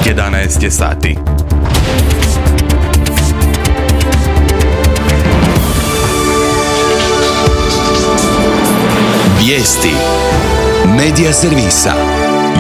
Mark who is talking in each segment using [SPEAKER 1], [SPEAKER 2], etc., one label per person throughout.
[SPEAKER 1] 11 je sati.
[SPEAKER 2] Vijesti Medija servisa.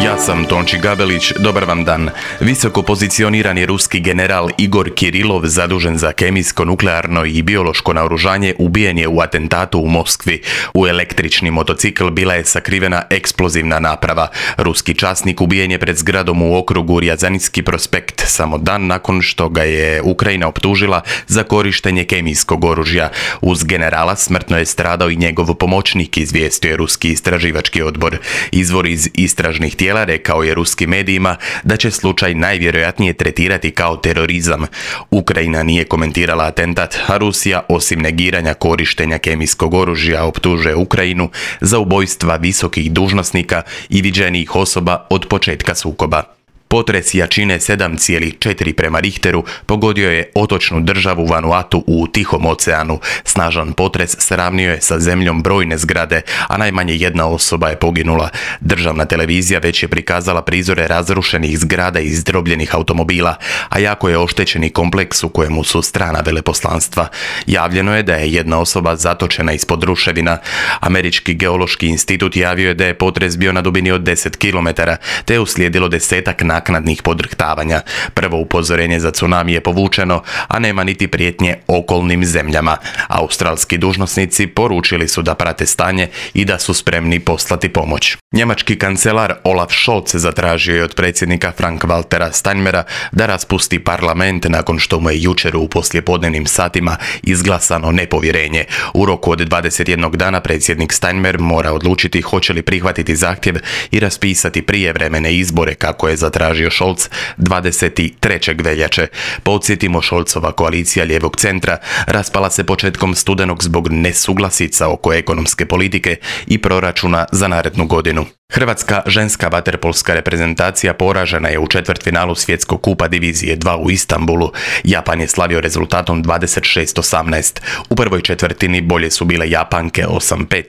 [SPEAKER 1] Ja sam Tonči Gabelić, dobar vam dan. Visoko pozicionirani ruski general Igor Kirilov, zadužen za kemijsko, nuklearno i biološko naoružanje, ubijen je u atentatu u Moskvi. U električni motocikl bila je sakrivena eksplozivna naprava. Ruski časnik ubijen je pred zgradom u okrugu Rjazanski prospekt, samo dan nakon što ga je Ukrajina optužila za korištenje kemijskog oružja. Uz generala smrtno je stradao i njegov pomoćnik, izvijestio je ruski istraživački odbor. Izvor iz istražnih tijela rekao je ruskim medijima da će slučaj najvjerojatnije tretirati kao terorizam. Ukrajina nije komentirala atentat, a Rusija, osim negiranja korištenja kemijskog oružja, optužuje Ukrajinu za ubojstva visokih dužnosnika i viđenijih osoba od početka sukoba. Potres jačine 7,4 prema Richteru pogodio je otočnu državu Vanuatu u Tihom oceanu. Snažan potres sravnio je sa zemljom brojne zgrade, a najmanje jedna osoba je poginula. Državna televizija već je prikazala prizore razrušenih zgrada i izdrobljenih automobila, a jako je oštećeni kompleks u kojemu su strana veleposlanstva. Javljeno je da je jedna osoba zatočena ispod ruševina. Američki geološki institut javio je da je potres bio na dubini od 10 km, te je uslijedilo desetak naknadnih podrhtavanja. Prvo upozorenje za tsunami je povučeno, a nema niti prijetnje okolnim zemljama. Australski dužnosnici poručili su da prate stanje i da su spremni poslati pomoć. Njemački kancelar Olaf Scholz zatražio je od predsjednika Frank-Waltera Steinmeiera da raspusti parlament nakon što mu je jučer u poslijepodnevnim satima izglasano nepovjerenje. U roku od 21 dana predsjednik Steinmeier mora odlučiti hoće li prihvatiti zahtjev i raspisati prijevremene izbore kako je zatražio Scholz 23. veljače. Podsjetimo, Scholzova koalicija lijevog centra raspala se početkom studenog zbog nesuglasica oko ekonomske politike i proračuna za narednu godinu. Hrvatska ženska vaterpolska reprezentacija poražena je u četvrtfinalu svjetskog kupa divizije 2 u Istanbulu. Japan je slavio rezultatom 26-18. U prvoj četvrtini bolje su bile Japanke 8-5,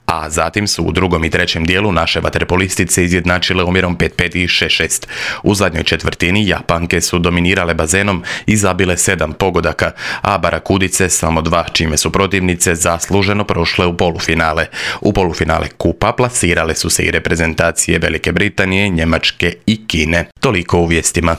[SPEAKER 1] a zatim su u drugom i trećem dijelu naše vaterpolistice izjednačile omjerom 5-5 i 6-6. U zadnjoj četvrtini Japanke su dominirale bazenom i zabile 7 pogodaka, a Barakudice samo 2, čime su protivnice zasluženo prošle u polufinale. U polufinale kupa plasirale su se i reprezentacije Velike Britanije, Njemačke i Kine. Toliko u vijestima.